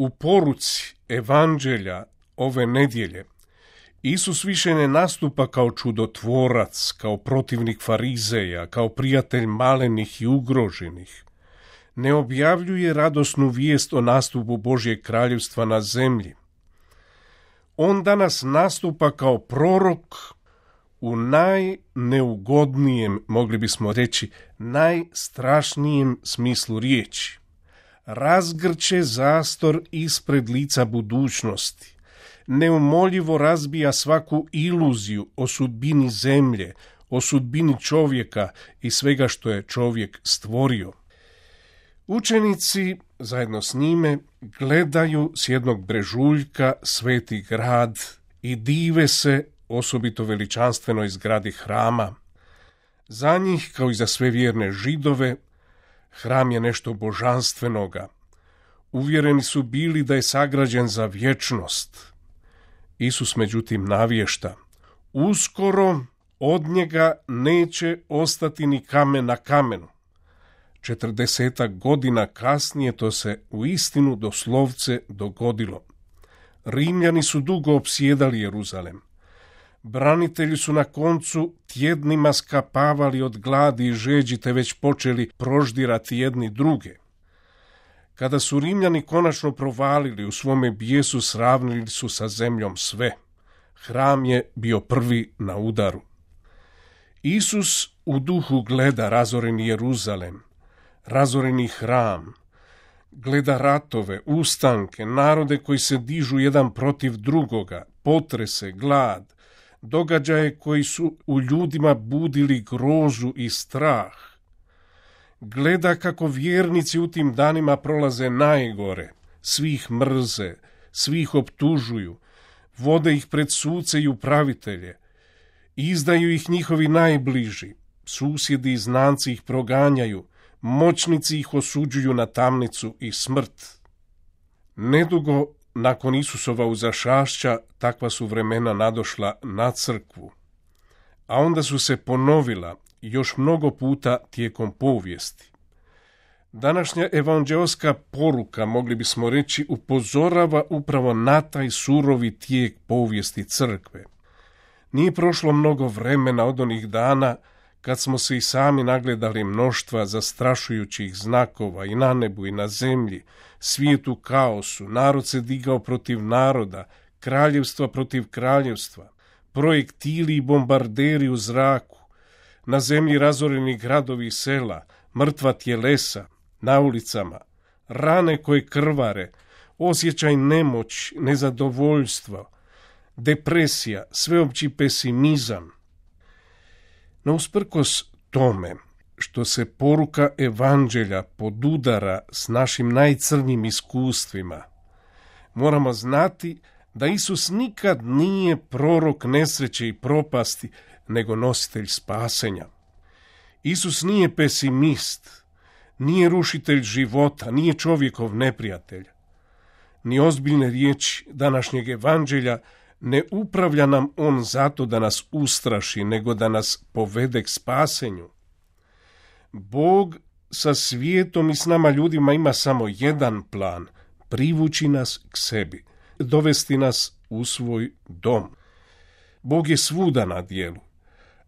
U poruci evanđelja ove nedjelje Isus više ne nastupa kao čudotvorac, kao protivnik farizeja, kao prijatelj malenih i ugroženih. Ne objavljuje radosnu vijest o nastupu Božjeg kraljevstva na zemlji. On danas nastupa kao prorok u najneugodnijem, mogli bismo reći, najstrašnijem smislu riječi. Razgrće zastor ispred lica budućnosti. Neumoljivo razbija svaku iluziju o sudbini zemlje, o sudbini čovjeka i svega što je čovjek stvorio. Učenici zajedno s njime gledaju s jednog brežuljka sveti grad i dive se osobito veličanstvenoj zgradi hrama. Za njih, kao i za sve vjerne Židove, hram je nešto božanstvenoga. Uvjereni su bili da je sagrađen za vječnost. Isus međutim navješta: uskoro od njega neće ostati ni kamen na kamenu. 40 godina kasnije to se uistinu doslovce dogodilo. Rimljani su dugo opsjedali Jeruzalem. Branitelji su na koncu tjednima skapavali od gladi i žeđi te već počeli proždirati jedni druge. Kada su Rimljani konačno provalili u svome bijesu, sravnili su sa zemljom sve. Hram je bio prvi na udaru. Isus u duhu gleda razoreni Jeruzalem, razoreni hram, gleda ratove, ustanke, narode koji se dižu jedan protiv drugoga, potrese, glad, događaje koji su u ljudima budili grozu i strah. Gleda kako vjernici u tim danima prolaze najgore, svih mrze, svih optužuju, vode ih pred suce i upravitelje, izdaju ih njihovi najbliži, susjedi i znanci ih proganjaju, moćnici ih osuđuju na tamnicu i smrt. Nedugo nakon Isusova uzašašća takva su vremena nadošla na crkvu, a onda su se ponovila još mnogo puta tijekom povijesti. Današnja evanđeoska poruka, mogli bismo reći, upozorava upravo na taj surovi tijek povijesti crkve. Nije prošlo mnogo vremena od onih dana kad smo se i sami nagledali mnoštva zastrašujućih znakova i na nebu i na zemlji, svijet u kaosu, narod se digao protiv naroda, kraljevstva protiv kraljevstva, projektili i bombarderi u zraku, na zemlji razoreni gradovi i sela, mrtva tjelesa, na ulicama, rane koje krvare, osjećaj nemoć, nezadovoljstva, depresija, sveopći pesimizam. No usprkos tome što se poruka evanđelja podudara s našim najcrnjim iskustvima, moramo znati da Isus nikad nije prorok nesreće i propasti, nego nositelj spasenja. Isus nije pesimist, nije rušitelj života, nije čovjekov neprijatelj. Ni ozbiljne riječi današnjeg evanđelja ne upravlja nam on zato da nas ustraši, nego da nas povede k spasenju. Bog sa svijetom i s nama ljudima ima samo jedan plan: privući nas k sebi, dovesti nas u svoj dom. Bog je svuda na djelu,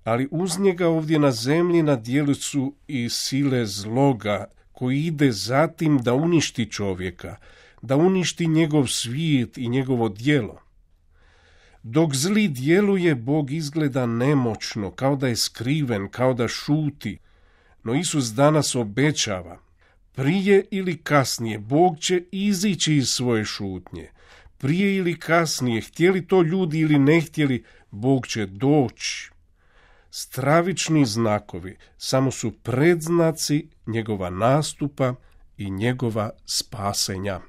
ali uz njega ovdje na zemlji na djelu su i sile zloga koji ide za tim da uništi čovjeka, da uništi njegov svijet i njegovo djelo. Dok zli djeluje, Bog izgleda nemoćno, kao da je skriven, kao da šuti. No Isus danas obećava: prije ili kasnije Bog će izići iz svoje šutnje. Prije ili kasnije, htjeli to ljudi ili ne htjeli, Bog će doći. Stravični znakovi samo su predznaci njegova nastupa i njegova spasenja.